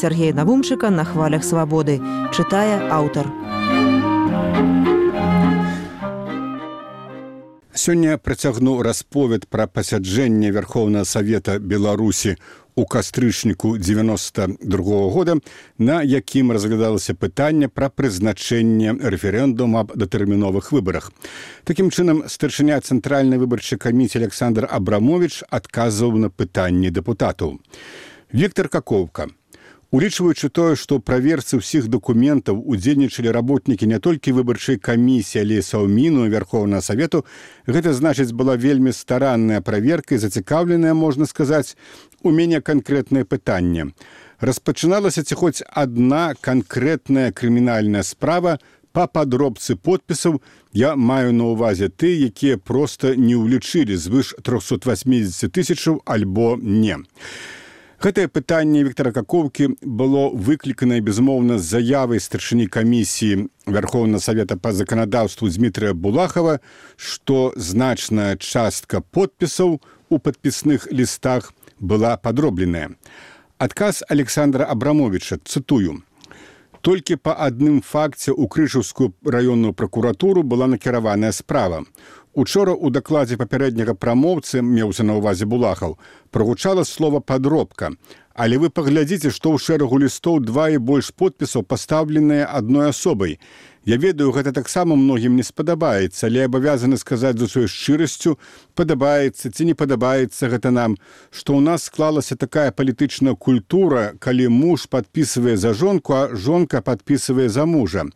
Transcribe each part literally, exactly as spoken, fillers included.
Сергея Навумчыка на хвалях свабоды. Чытае аўтар. Сёння працягну расповед пра пасяджэнне Верховнага Савета Беларусі у кастрычніку дзевяноста другога года, на якім разглядалася пытанне пра прызначэнне рэферэндума аб датэрміновых выбарах. Такім чынам, старшыня Цэнтральнай выбарчай камісіі Александр Абрамович адказваў на пытанні дэпутатаў. Віктор Каковка. Улічваючы тое, што ў праверцы ўсіх дакументаў удзельнічалі работнікі не толькі выбарчай камісіі, але і Саўміну Верховнага Савету, гэта, значыць, была вельмі старанная праверка і зацікаўленая, можна сказаць, у мяне канкрэтнае пытанне. Распачыналася ці хоць адна канкрэтная крымінальная справа па падробцы подпісаў, я маю на ўвазе ты, якія проста не ўлічылі звыш трохсот васьмідзесят тысячаў альбо не. Гэтае пытанне Віктора Каковкі было выкліканае, безумоўна, з заявай старшыні камісіі Верховнага Савета па заканадаўству Дмітрия Булахова, што значная частка подпісаў у падпісных лістах была падробленая. Адказ Александра Абрамовича, цытую. Толькі па адным факце ў Крышаўскую раённую пракуратуру была накіраваная справа. Учора ў дакладзе папярэдняга прамоўцы, меўся на ўвазе Булахаў, прагучала слова «падробка». Але вы паглядзіце, што ў шэрагу лістоў два і больш подпісаў пастаўленыя адной асобай. Я ведаю, гэта таксама многім не спадабаецца, але абавязаны сказаць з усёй шчырасцю, падабаецца ці не падабаецца гэта нам, што ў нас склалася такая палітычная культура, калі муж падпісвае за жонку, а жонка падпісвае за мужа.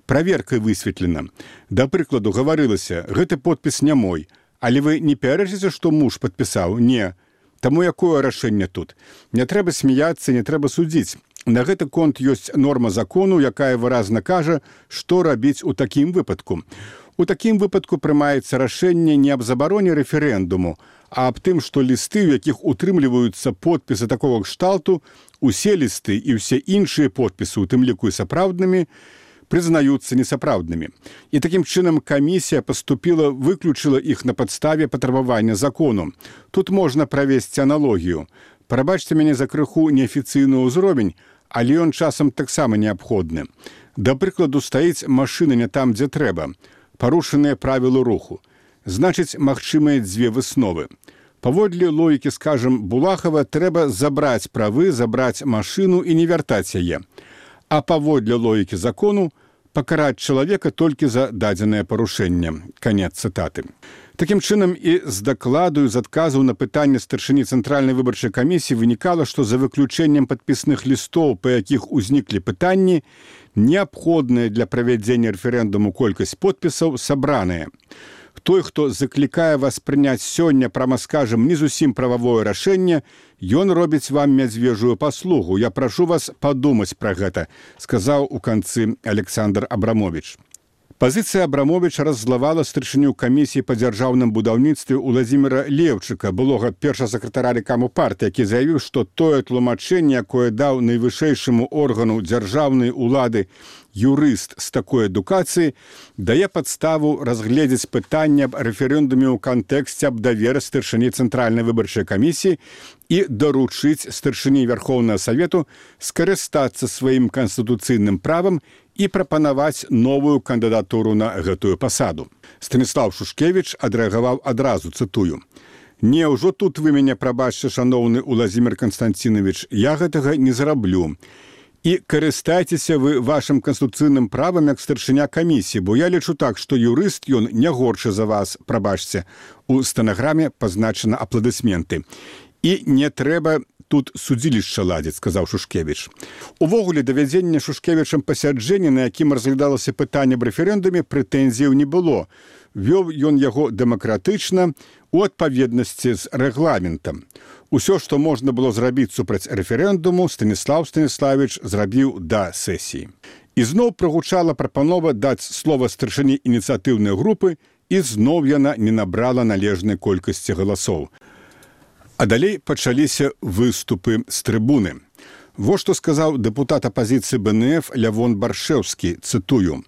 Праверкай высветлена. Да прыкладу, гаварылася, гэты подпіс не мой. Але вы не пярэчыце, што муж падпісаў? Не. Таму якое рашэнне тут? Не трэба смяяцца, не трэба судзіць. На гэты конт ёсць норма закону, якая выразна кажа, што рабіць у такім выпадку. У такім выпадку прымаецца рашэнне не аб забароне рэферэндуму, а аб тым, што лісты, у якіх утрымліваюцца подпісы такога кшталту, усе лісты і ўсе іншыя подпісы, у тым ліку і сапраўднымі, прызнаюцца несапраўднымі. І такім чынам камісія паступіла, выключыла іх на падставе патрабавання закону. Тут можна правесці аналогію. Прабачце мяне за крыху неафіцыйны ўзровень, але ён часам таксама неабходны. Да прыкладу, стаіць машына не там, дзе трэба. Парушаныя правілы руху. Значыць, магчымыя дзве высновы. Паводле логікі, скажам, Булахава, трэба забраць правы, забраць машыну і не вяртаць яе. А паводле логікі закону пакараць чалавека толькі за дадзенае парушэнне. Канец цытаты. Такім чынам і з дакладу, з адказаў на пытанне старшыні Цэнтральнай выбарчай камісіі вынікала, што за выключэннем падпісных лістоў, па якіх узніклі пытанні, неабходная для правядзення рэферэндуму колькасць подпісаў сабраная. Той, хто заклікае вас прыняць сёння, прама скажам, не зусім прававое рашэнне, ён робіць вам мядзвежую паслугу. Я прашу вас падумаць пра гэта, сказаў у канцы Александр Абрамович. Пазіцыя Абрамовича раззлавала старшыню камісіі па дзяржаўным будаўніцтве Уладзіміра Леўчыка, былога першага сакратара рэкаму партыі, які заявіў, што тое тлумачэнне, якое даў найвышэйшаму органу дзяржаўнай улады юрыст з такой адукацыі, дае падставу разгледзець пытанне аб рэферэндуме ў кантэксце аб даверы старшыні Цэнтральнай выбарчай камісіі і даручыць старшыні Верховнага Савету скарыстацца сваім канстытуцыйным правам і прапанаваць новую кандыдатуру на гэтую пасаду. Станіслав Шушкевіч адрэагаваў адразу, цытую. «Не, ўжо тут вы мяне прабачце, шаноўны Уладзімір Канстанцінович, я гэтага не зраблю. І карыстайцеся вы вашым канстытуцыйным правам як старшыня камісіі, бо я лічу так, што юрыст ён не горшы за вас, прабачце». У стэнаграме пазначана апладысменты. «І не трэба тут судзілішча ладзіць», сказаў Шушкевіч. Увогуле, давядзення Шушкевічам пасяджэння, на якім разглядалася пытанне аб рэферэндуме, прэтэнзіяў не было. Вёў ён яго дэмакратычна, у адпаведнасці з рэгламентам. Усё, што можна было зрабіць супраць рэферэндуму, Станіслав Станіславіч зрабіў да сесіі. І зноў прагучала прапанова даць слова старшыні ініцыятыўнай групы, і зноў яна не набрала належнай колькасці галасоў. А далей пачаліся выступы з трыбуны. Во што сказаў дэпутат апазіцыі БНФ Лявон Баршэўскі, цытую.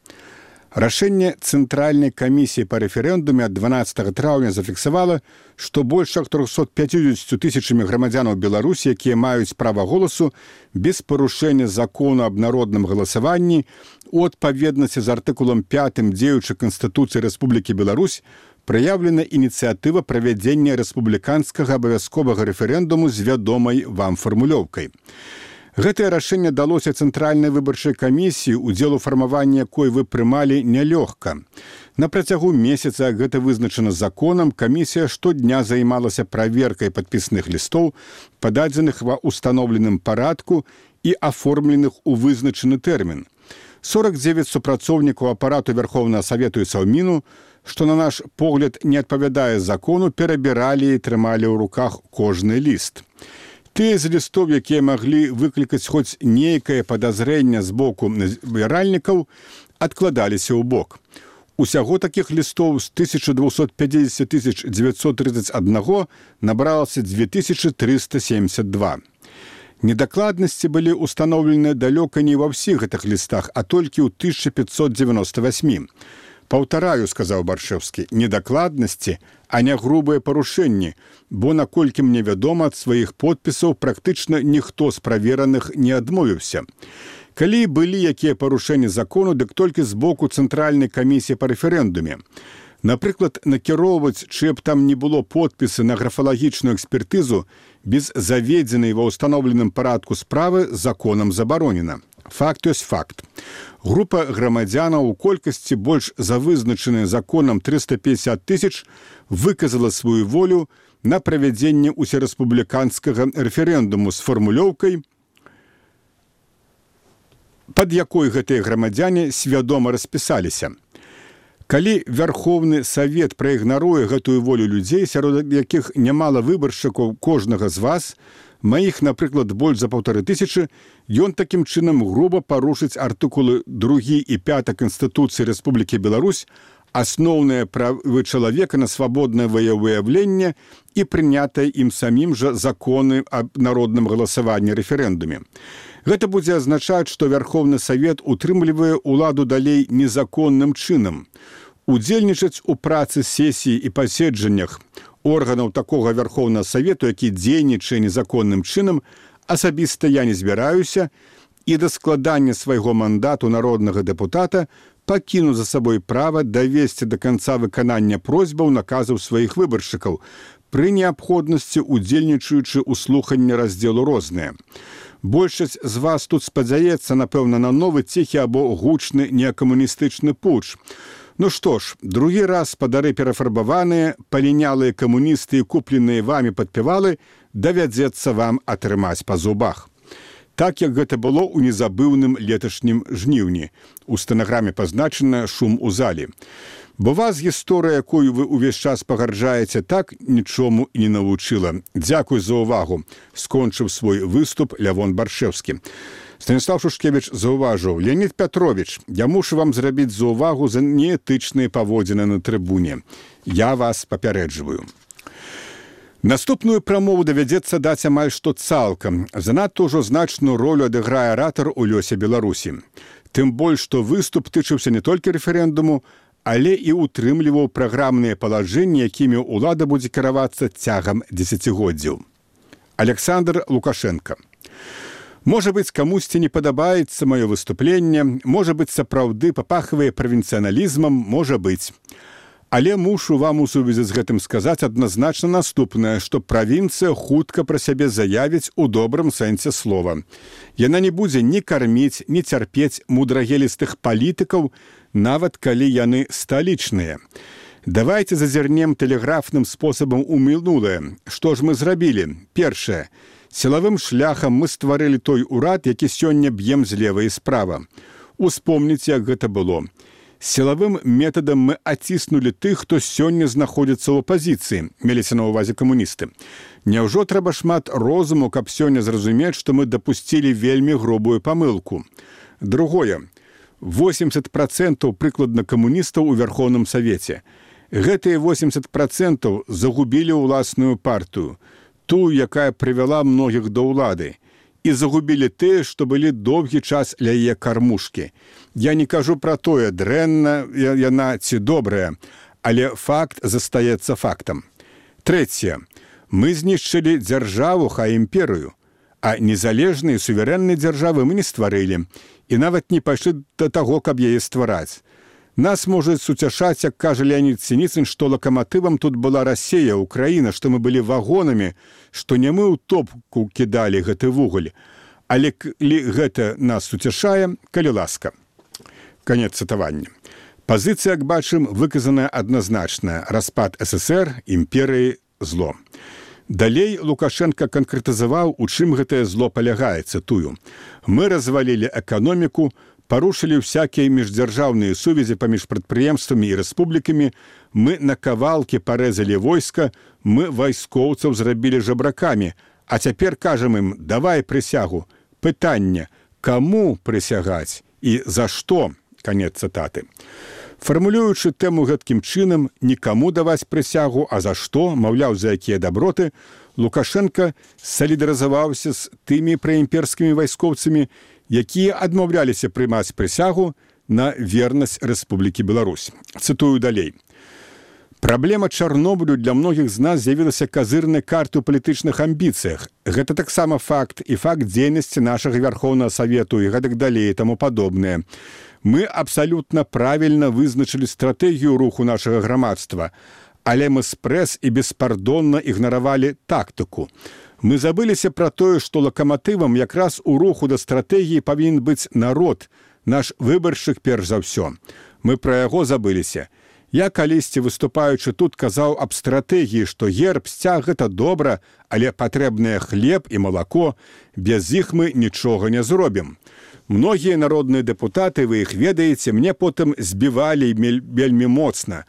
Рашэнне Цэнтральнай камісіі па рэферэндуме ад дванаццатага траўня зафіксавала, што больш як трохсот пяцьдзесят тысячамі грамадзянаў Беларусі, якія маюць права голасу, без парушэння закону аб народным галасаванні у адпаведнасці з артыкулам пятым дзеючай Канстытуцыі Рэспублікі Беларусь праяўлена ініцыятыва правядзення рэспубліканскага абавязковага рэферэндуму з вядомай вам фармулёўкай. Гэтае рашэнне далося Цэнтральнай выбарчай камісіі, удзел у фармаванні якой вы прымалі нялёгка. На працягу месяца, гэта вызначана законам, камісія штодня займалася праверкай падпісных лістоў, пададзеных ва ўстаноўленым парадку і аформленых у вызначаны тэрмін. сорок девять супрацоўнікаў апарату Верховнага Савету і Саўміну, што, на наш погляд, не адпавядае закону, перабіралі і трымалі ў руках кожны ліст. Тыя з лістоў, якія маглі выклікаць хоць нейкае падазрэнне з боку збіральнікаў, адкладаліся ў бок. Усяго такіх лістоў з тысяча двухсот пятьдесят тысяч девятьсот тридцать один набралася две тысячи триста семьдесят два. Недакладнасці былі ўстаноўлены далёка не ва ўсіх гэтых лістах, а толькі ў тысяча пятьсот девяносто восьми. Паўтараю, сказаў Баршэўскі, недакладнасці, а не грубыя парушэнні, бо, наколькі мне вядома, ад сваіх подпісаў практычна ніхто з правераных не адмовіўся. Калі былі якія парушэнні закону, дык толькі з боку Цэнтральнай камісіі па рэферэндуме. Напрыклад, накіроўваць, чые б там не было подпісы на графалагічную экспертызу без заведзенай ва ўстаноўленым парадку справы законам забаронена. Факт ёсць факт. Група грамадзянаў у колькасці больш за вызначаныя законам триста пятьдесят тысяч выказала сваю волю на правядзенне усерэспубліканскага рэферэндуму з фармулёўкай, пад якой гэтыя грамадзяне свядома распісаліся. Калі Верховны Савет праігнаруе гэтую волю людзей, сярод якіх нямала выбаршчыкаў кожнага з вас, маіх, напрыклад, больш за паўтары тысячы, ён такім чынам груба парушыць артыкулы другі і пяты Канстытуцыі Рэспублікі Беларусь, асноўныя правы чалавека на свабоднае выяўленне і прынятыя ім самім жа законы аб народным галасаванні рэферэндуме. Гэта будзе азначаць, што Верховны Савет утрымлівае ўладу далей незаконным чынам. Удзельнічаць у працы сесіі і паседжаннях органаў такога Верховнага Савету, які дзейнічае незаконным чынам, асабіста я не збіраюся, і да складання свайго мандату народнага дэпутата пакіну за сабой права давесці да канца выканання просьбаў наказаў сваіх выбаршчыкаў, пры неабходнасці удзельнічаючы ў слуханні раздзелу розныя. Большасць з вас тут спадзяецца, напэўна, на новы ціхі або гучны неакамуністычны путч. Ну што ж, другі раз спадары перафарбаваныя, палінялыя камуністы і купленыя вамі падпявалы давядзецца вам атрымаць па зубах. Так, як гэта было ў незабыўным леташнім жніўні. У стэнаграме пазначана шум у залі. Бо вас гісторыя, якую вы ўвесь час пагарджаеце, так нічому і не навучыла. Дзякуй за ўвагу. Скончыў свой выступ Лявон Баршэўскі. Станіслав Шушкевіч заўважыў: Леонід Пятрович, я мушу вам зрабіць заўвагу за неэтычныя паводзіны на трыбуне. Я вас папярэджваю. Наступную прамову давядзецца даць амаль што цалкам. Занадта ўжо значную ролю адыграе аратар у лёсе Беларусі. Тым больш, што выступ тычыўся не толькі рэферэндуму, але і утрымліваў праграмныя палажэнні, якімі ўлада будзе кіравацца цягам дзесяцігоддзяў. Александр Лукашенко. Можа быць, камусьці не падабаецца маё выступленне, можа быць, сапраўды папахвае правінцыяналізмам, можа быць. Але мушу вам у сувязі з гэтым сказаць адназначна наступнае, што правінцыя хутка пра сябе заявіць у добрым сэнсе слова. Яна не будзе ні карміць, ні цярпець мудрагелістых палітыкаў, нават калі яны сталічныя. Давайце зазірнем тэлеграфным спосабам у мінулае. Што ж мы зрабілі? Першае. Сілавым шляхам мы стварылі той урад, які сёння б'ем злева і справа. Успомніце, як гэта было. Сілавым метадам мы аціснулі тых, хто сёння знаходзіцца ў апазіцыі, меліся на ўвазе камуністы. Няўжо трэба шмат розуму, каб сёння зразумець, што мы дапусцілі вельмі грубую памылку? Другое. восемьдесят процентов прыкладна камуністаў у Верховным Савеце. Гэтыя восемьдесят процентов загубілі ўласную партыю, тую, якая прывяла многіх да ўлады. і загубілі тыя, што былі доўгі час ля яе кармушкі. Я не кажу пра тое, дрэнна яна ці добрая, але факт застаецца фактам. Трэцяе. Мы знішчылі дзяржаву, хай імперыю, а незалежныя суверэнныя дзяржавы мы не стварылі і нават не пайшлі да таго, каб яе ствараць. Нас можа суцяшаць, як кажа Леонід Сініцын, што лакаматывам тут была Расія, Украіна, што мы былі вагонамі, што не мы ў топку кідалі гэты вугаль. Але калі гэта нас суцяшае, калі ласка. Канец цытавання. Пазіцыя, як бачым, выказаная адназначная. Распад ССР, імперыі, зло. Далей Лукашенко канкрэтызаваў, у чым гэтае зло палягае, цытую. Мы развалілі эканоміку, парушылі ўсякія міждзяржаўныя сувязі паміж прадпрыемствамі і рэспублікамі, мы на кавалкі парэзалі войска, мы вайскоўцаў зрабілі жабракамі, а цяпер кажам ім, давай прысягу. Пытанне, каму прысягаць і за што? Канец цытаты. Фармулюючы тэму гэткім чынам, нікаму даваць прысягу, а за што, маўляў, за якія даброты, Лукашенко салідарызаваўся з тымі праімперскімі вайскоўцамі, якія адмаўляліся прымаць прысягу на вернасць Рэспублікі Беларусь. Цытую далей. Праблема Чарнобылю для многіх з нас з'явілася казырнай карты ў палітычных амбіцыях. Гэта таксама факт і факт дзейнасці нашага Вярхоўнага Савету і гэтак далей і таму падобнае. Мы абсалютна правільна вызначылі стратэгію руху нашага грамадства, але мы спрэс і беспардонна ігнаравалі тактыку. Мы забыліся пра тое, што лакаматывам якраз у руху да стратэгіі павінен быць народ, наш выбаршчык перш за ўсё. Мы пра яго забыліся. Я калісьці, выступаючы тут, казаў аб стратэгіі, што герб, сцяг – гэта добра, але патрэбныя хлеб і малако, без іх мы нічога не зробім. Многія народныя дэпутаты, вы іх ведаеце, мне потым збівалі вельмі моцна.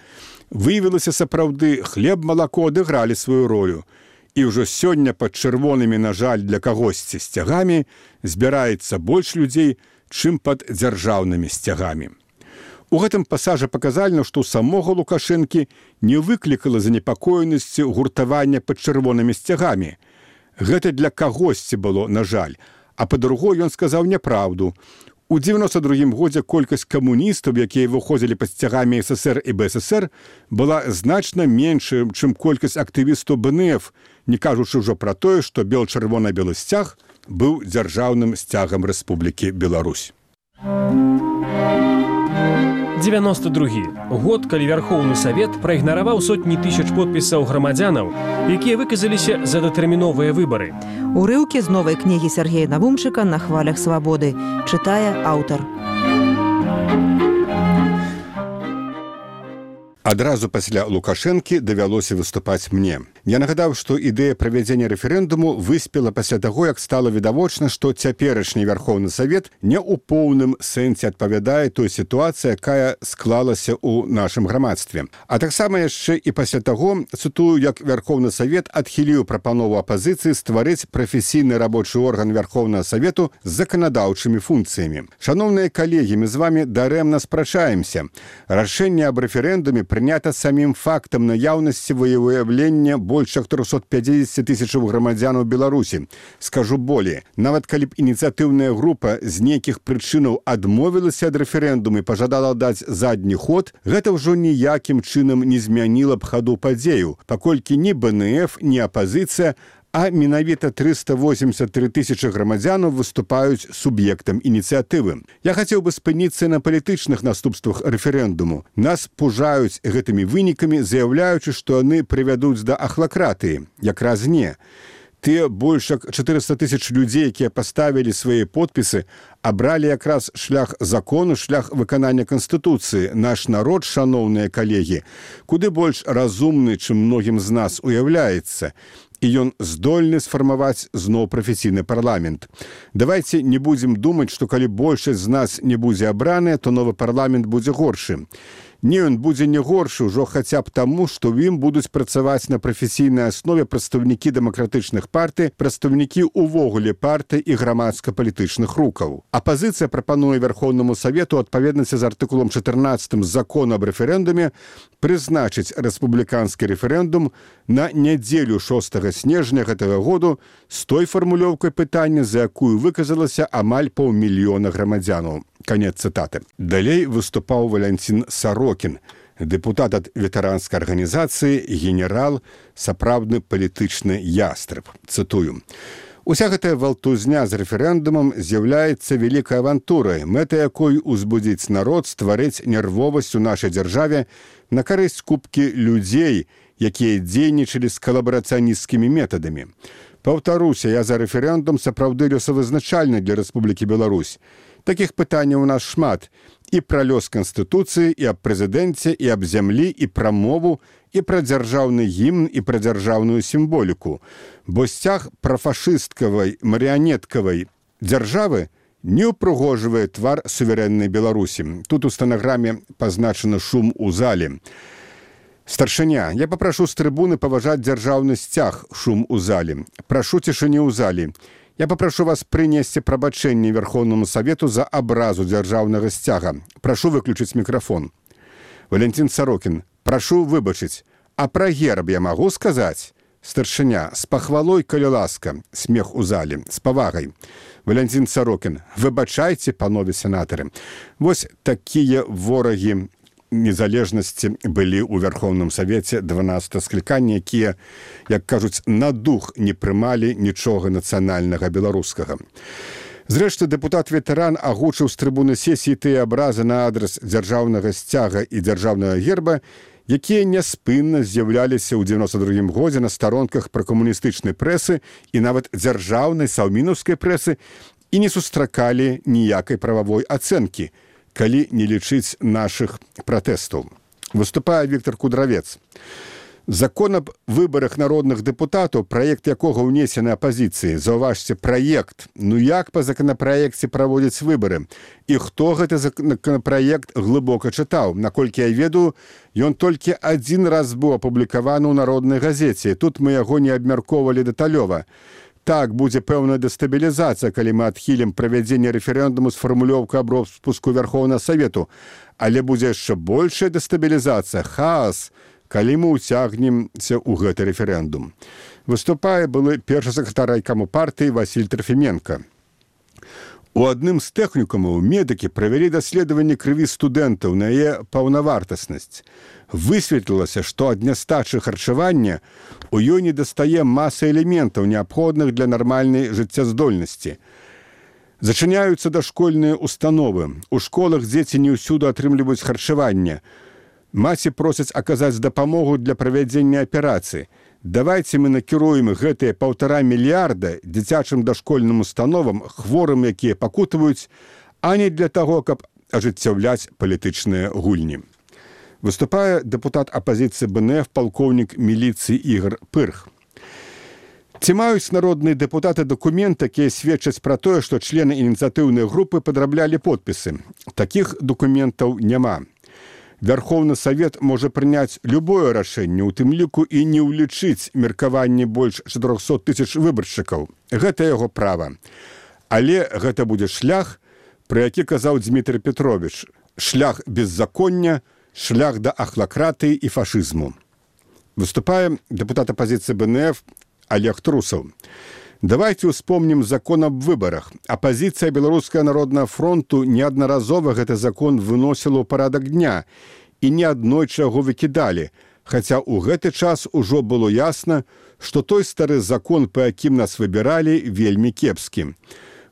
Выявілася сапраўды, хлеб, малако адыгралі сваю ролю. І ўжо сёння пад чырвонымі, на жаль, для кагосьці сцягамі збіраецца больш людзей, чым пад дзяржаўнымі сцягамі. У гэтым пасажы паказальна, што самога Лукашэнкі не выклікала занепакоенасці гуртавання пад чырвонымі сцягамі. Гэта для кагосьці было, на жаль. А па-другое, ён сказаў няпраўду. У дзевяноста другім годзе колькасць камуністаў, якія выходзілі пад сцягамі ССР і БССР, была значна меншая, чым колькасць актывістаў БНФ, не кажучы ўжо пра тое, што бел-чырвона-белы сцяг быў дзяржаўным сцягам Рэспублікі Беларусь. девяносто другі год, калі Вярхоўны Савет праігнараваў сотні тысяч подпісаў грамадзянаў, якія выказаліся за датэрміновыя выбары. Урыўкі з новай кнігі Сергея Навумчыка «На хвалях свабоды». Чытае аўтар. Адразу пасля Лукашэнкі давялося выступаць мне. Я нагадаў, што ідэя правядзення рэферэндуму выспела пасля таго, як стала відавочна, што цяперашні Вярхоўны Савет не ў поўным сэнсе адпавядае той сітуацыі, якая склалася ў нашым грамадстве. А таксама яшчэ і пасля таго, цытую, як Вярхоўны Савет адхіліў прапанову апазіцыі стварыць прафесійны рабочы орган Вярхоўнага Савету з заканадаўчымі функцыямі. Шаноўныя калегі, мы з вамі дарэмна спрачаемся. Рашэнне аб рэферэндуме прынята самім фактам наяўнасці выяўлення больш як трохсот пяцьдзесят тысячаў грамадзянаў Беларусі. Скажу болей, нават калі б ініцыятыўная група з нейкіх прычынаў адмовілася ад рэферэндуму і пажадала даць задні ход, гэта ўжо ніякім чынам не змяніла б хаду падзею, паколькі ні БНФ, ні апазіцыя, а менавіта трыста восемьдесят тры тысячы грамадзянаў выступаюць суб'ектам ініцыятывы. Я хацеў бы спыніцца на палітычных наступствах рэферэндуму. Нас пужаюць гэтымі вынікамі, заяўляючы, што яны прывядуць да ахлакратыі. Якраз не. Тыя больш як чатырыста тысяч людзей, якія паставілі свае подпісы, абралі якраз шлях закону, шлях выканання Канстытуцыі. Наш народ, шаноўныя калегі, куды больш разумны, чым многім з нас уяўляецца. І ён здольны сфармаваць зноў прафесійны парламент. Давайце не будзем думаць, што калі большасць з нас не будзе абраная, то новы парламент будзе горшы. Не, ён будзе не горшы ўжо хаця б таму, што ў ім будуць працаваць на прафесійнай аснове прадстаўнікі дэмакратычных партый, прадстаўнікі ўвогуле партый і грамадска-палітычных рухаў. Апазіцыя прапануе Верхоўнаму Савету адпаведнасці з артыкулам чатырнаццатым закону аб рэферэндуме прызначыць рэспубліканскі рэферэндум на нядзелю шостага снежня гэтага году з той фармулёўкай пытання, за якую выказалася амаль паўмільёна грамадзянаў. Канец цытаты. Далей выступаў Валянцін Сарокін, дэпутат ад ветэранскай арганізацыі, генерал, сапраўдны палітычны ястраб. Цытую. Уся гэтая валтузня з рэферэндумам з'яўляецца вялікай авантурай, мэта якой узбудзіць народ, стварыць нервовасць у нашай дзяржаве на карысць купкі людзей, якія дзейнічалі з калабарацыянісцкімі метадамі. Паўтаруся, я за рэферэндум сапраўды лёсавызначальны для Рэспублікі Беларусь. Такіх пытанняў у нас шмат. І пра лёс Канстытуцыі, і аб прэзідэнце, і аб зямлі, і пра мову, і пра дзяржаўны гімн, і пра дзяржаўную сімволіку. Бо сцяг прафашысткавай, марыянеткавай дзяржавы не ўпрыгожвае твар суверэннай Беларусі. Тут у стэнаграме пазначаны шум у зале. Старшыня, я папрашу з трыбуны паважаць дзяржаўны сцяг, шум у зале. Прашу цішыню ў зале. Я папрашу вас прынесці прабачэнне Верхоўнаму Савету за абразу дзяржаўнага сцяга. Прашу выключыць мікрафон. Валянцін Сарокін, прашу выбачыць. А пра герб я магу сказаць? Старшыня, з пахвалой, калі ласка. Смех у зале. З павагай. Валянцін Сарокін, выбачайце, панове сенатары. Вось такія ворагі незалежнасці былі ў Верхоўным Савеце дванаццатага склікання, якія, як кажуць, на дух не прымалі нічога нацыянальнага беларускага. Зрэшты, дэпутат-ветэран агучыў з трыбуны сесіі тыя абразы на адрас дзяржаўнага сцяга і дзяржаўнага герба, якія няспынна з'яўляліся ў дзевяноста другім годзе на старонках пракамуністычнай прэсы і нават дзяржаўнай саўмінаўскай прэсы і не сустракалі ніякай прававой ацэнкі, калі не лічыць нашых пратэстаў. Выступае Віктор Кудравец. Закон аб выбарах народных дэпутатаў, праект якога ўнесены апазіцыі. Заўважце, праект. Ну як па законапраекце праводзяць выбары? І хто гэты законапраект глыбока чытаў? Наколькі я ведаю, ён толькі адзін раз быў апублікаваны ў народнай газеце. Тут мы яго не абмяркоўвалі дэталёва. Так, будзе пэўная дэстабілізацыя, калі мы адхілім правядзенне рэферэндуму з фармулёўкай аб роспуску Верхоўнага Савету. Але будзе яшчэ большая дэстабілізацыя, хаос, калі мы ўцягнемся ў гэты рэферэндум. Выступае былы першы сакратар райкаму партыі Васіль Трафіменка. У адным з тэхнікумаў медыкі правялі даследаванне крыві студэнтаў на яе паўнавартаснасць. Высветлілася, што ад нястачы харчавання у ёй недастае маса элементаў, неабходных для нармальнай жыццяздольнасці. Зачыняюцца дашкольныя установы. У школах дзеці не ўсюды атрымліваюць харчаванне. Маці просяць аказаць дапамогу для правядзення аперацыі. Давайце мы накіруем гэтыя паўтара мільярда дзіцячым дашкольным установам, хворым, якія пакутваюць, а не для таго, каб ажыццяўляць палітычныя гульні. Выступае дэпутат апазіцыі бэ эн эф палкоўнік міліцыі Ігор Пырх. Ці маюць народныя дэпутаты дакумент, якія сведчаць пра тое, што члены ініцыятыўнай групы падраблялі подпісы? Такіх дакументаў няма. Верхоўны Савет можа прыняць любое рашэнне, у тым ліку і не ўлічыць меркаванне больш чатырохсот тысяч выбаршчыкаў. Гэта яго права. Але гэта будзе шлях, пра які казаў Дзмітрый Петрович. Шлях беззаконня, шлях да ахлакратыі і фашызму. Выступае дэпутат апазіцыі бэ эн эф Олег Трусаў. Давайте успомнім закон аб выбарах. Апазіцыя Беларускага народнага фронту неаднаразова гэты закон выносіла ў парадак дня і неаднойчы яго выкідалі, хаця ў гэты час ужо было ясна, што той стары закон, па якім нас выбіралі, вельмі кепскі.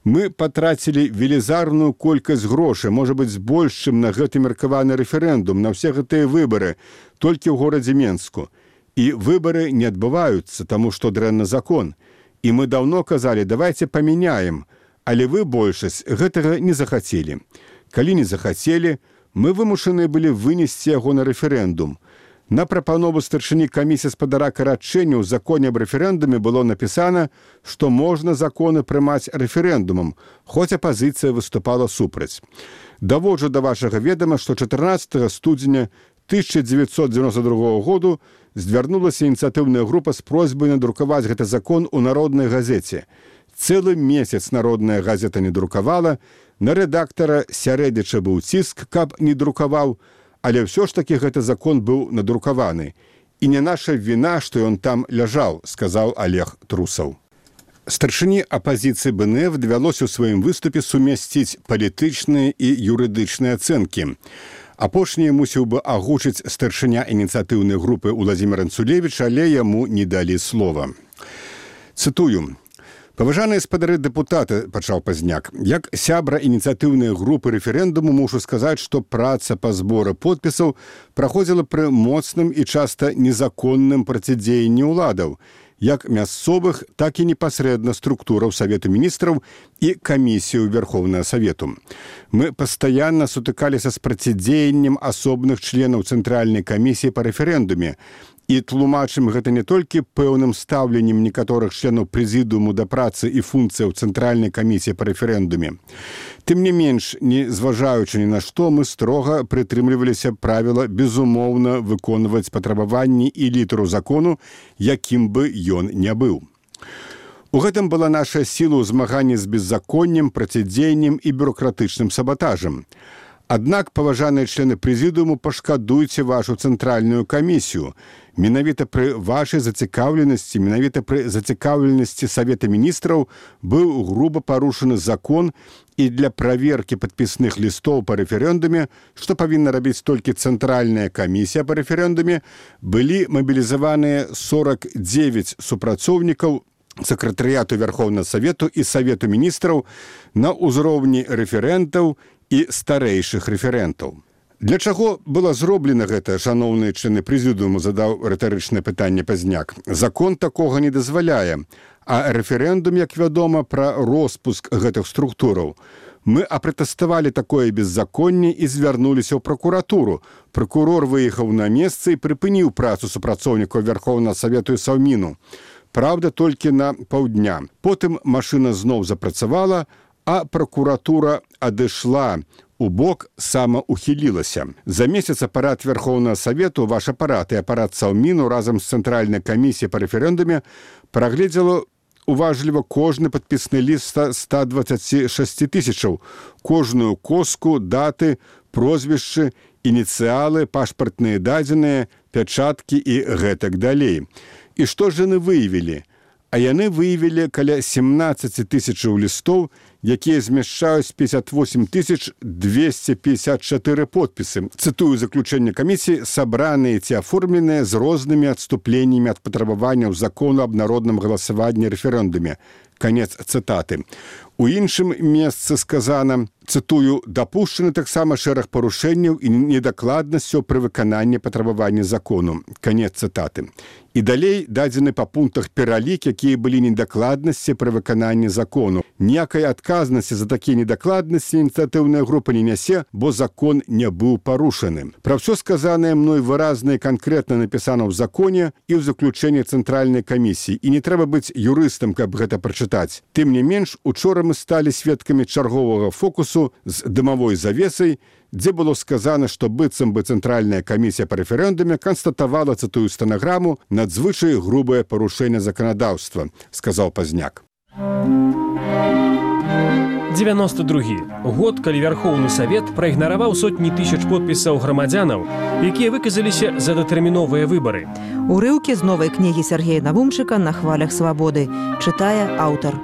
Мы патрацілі велізарную колькасць грошай, можа быць, больш, чым на гэты меркаваны рэферэндум, на ўсе гэтыя выбары, толькі ў горадзе Менску. І выбары не адбываюцца, таму што дрэнны закон. І мы даўно казалі, давайте памяняем, але вы большасць гэтага не захацелі. Калі не захацелі, мы вымушаны былі вынесці яго на рэферэндум. На прапанову старшыні камісіі спадара карачэння ў законе аб рэферэндуме было напісана, што можна законы прымаць рэферэндумам, хоць апазіцыя выступала супраць. Даводжу да вашага ведама, што чатырнаццатага студзеня тысяча дзевяцьсот дзевяносто другога году звярнулася ініцыятыўная група з просьбай надрукаваць гэты закон у народнай газеце. Цэлы месяц народная газета не друкавала, на рэдактара сярэдзячы быў ціск, каб не друкаваў, але ўсё ж такі гэты закон быў надрукаваны. І не наша віна, што ён там ляжаў, сказаў Олег Трусаў. Старшыні апазіцыі бэ эн эф давялося ў сваім выступе сумясціць палітычныя і юрыдычныя ацэнкі. Апошняе мусіў бы агучыць старшыня ініцыятыўнай групы Уладзімір Анцулевіч, але яму не далі слова. Цытую. «Паважаныя спадары дэпутаты», – пачаў Пазняк, «як сябра ініцыятыўнай групы рэферэндуму мушу сказаць, што праца па зборы подпісаў праходзіла пры моцным і часта незаконным процідзеянні ўладаў, як мясцовых, так і непасрэдна структураў Савету міністраў і камісію Верховнага Савету. Мы пастаянна сутыкаліся з процідзеяннем асобных членаў Цэнтральнай камісіі па рэферэндуме, і тлумачым гэта не толькі пэўным стаўленнем некаторых членаў прэзідыуму да працы і функцыяў Цэнтральнай камісіі па рэферэндуме. Тым не менш, не зважаючы ні на што, мы строга прытрымліваліся правіла безумоўна выконваць патрабаванні і літару закону, якім бы ён не быў. У гэтым была наша сіла ў змаганні з беззаконнем, процідзеяннем і бюрократычным сабатажам. Аднак, паважаныя члены прэзідыуму, пашкадуйце вашу цэнтральную камісію. Менавіта пры вашай зацікаўленасці, менавіта пры зацікаўленасці Савета міністраў быў груба парушаны закон, і для праверкі падпісных лістоў па рэферэндуме, што павінна рабіць толькі цэнтральная камісія па рэферэндуме, былі мабілізаваныя сорок дзевяць супрацоўнікаў сакратарыяту Верховнага Савету і Савету міністраў на ўзроўні рэферэнтаў і старэйшых рэферэнтаў. Для чаго было зроблена гэта, шаноўныя члены прэзідыуму, задаў рытарычнае пытанне Пазняк. Закон такога не дазваляе, а рэферэндум, як вядома, пра роспуск гэтых структураў. Мы апратэставалі такое беззаконне і звярнуліся ў пракуратуру. Пракурор выехаў на месца і прыпыніў працу супрацоўнікаў Верховнага Савету і Саўміну. Праўда, толькі на паўдня. Потым машына зноў запрацавала, а пракуратура адышла у бок, самаухілілася. За месяц апарат Верховнага Савету, ваш апарат і апарат Саўміну разам з Цэнтральнай камісіяй па рэферэндуме прагледзела уважліва кожны падпісны ліст ста дваццаць шэсць тысячаў, кожную коску, даты, прозвішчы, ініцыялы, пашпартныя дадзеныя, пячаткі і гэтак далей. І што ж яны выявілі? А яны выявілі каля семнаццаць тысячаў лістоў, якія змяшчаюць пятьдесят восемь тысяч двести пятьдесят четыре подпісы. Цытую заключэнне камісіі, сабраныя ці аформленыя з рознымі адступленнямі ад патрабаванняў закону аб народным галасаванні рэферэндуме. Канец цытаты. У іншым месцы сказана, цытую, дапушчаны таксама шэраг парушэнняў і недакладнасцяў пры выкананні патрабавання закону. Канец цытаты. І далей дадзены па пунктах пералік, якія былі недакладнасці пры выкананні закону. Ніякай адказнасці за такія недакладнасці ініцыятыўная група не нясе, бо закон не быў парушаны. Пра ўсё сказанае мной выразна і канкрэтна напісана ў законе і ў заключэнні Цэнтральнай камісіі. І не трэба быць юрыстам, каб гэта прачытаць. Тым не менш, учора мы сталі сведкамі чарговага фокусу з дымавой завесай, дзе было сказана, што быццам бы Цэнтральная камісія па рэферэндуме канстатавала, цытую стэнаграму, надзвычай грубае парушэнне заканадаўства, сказаў Пазняк. девяносто другі год, калі Верховны Савет праігнараваў сотні тысяч подпісаў грамадзянаў, якія выказаліся за датэрміновыя выбары. Урыўкі з новай кнігі Сергея Навумчыка «На хвалях свабоды» чытае аўтар.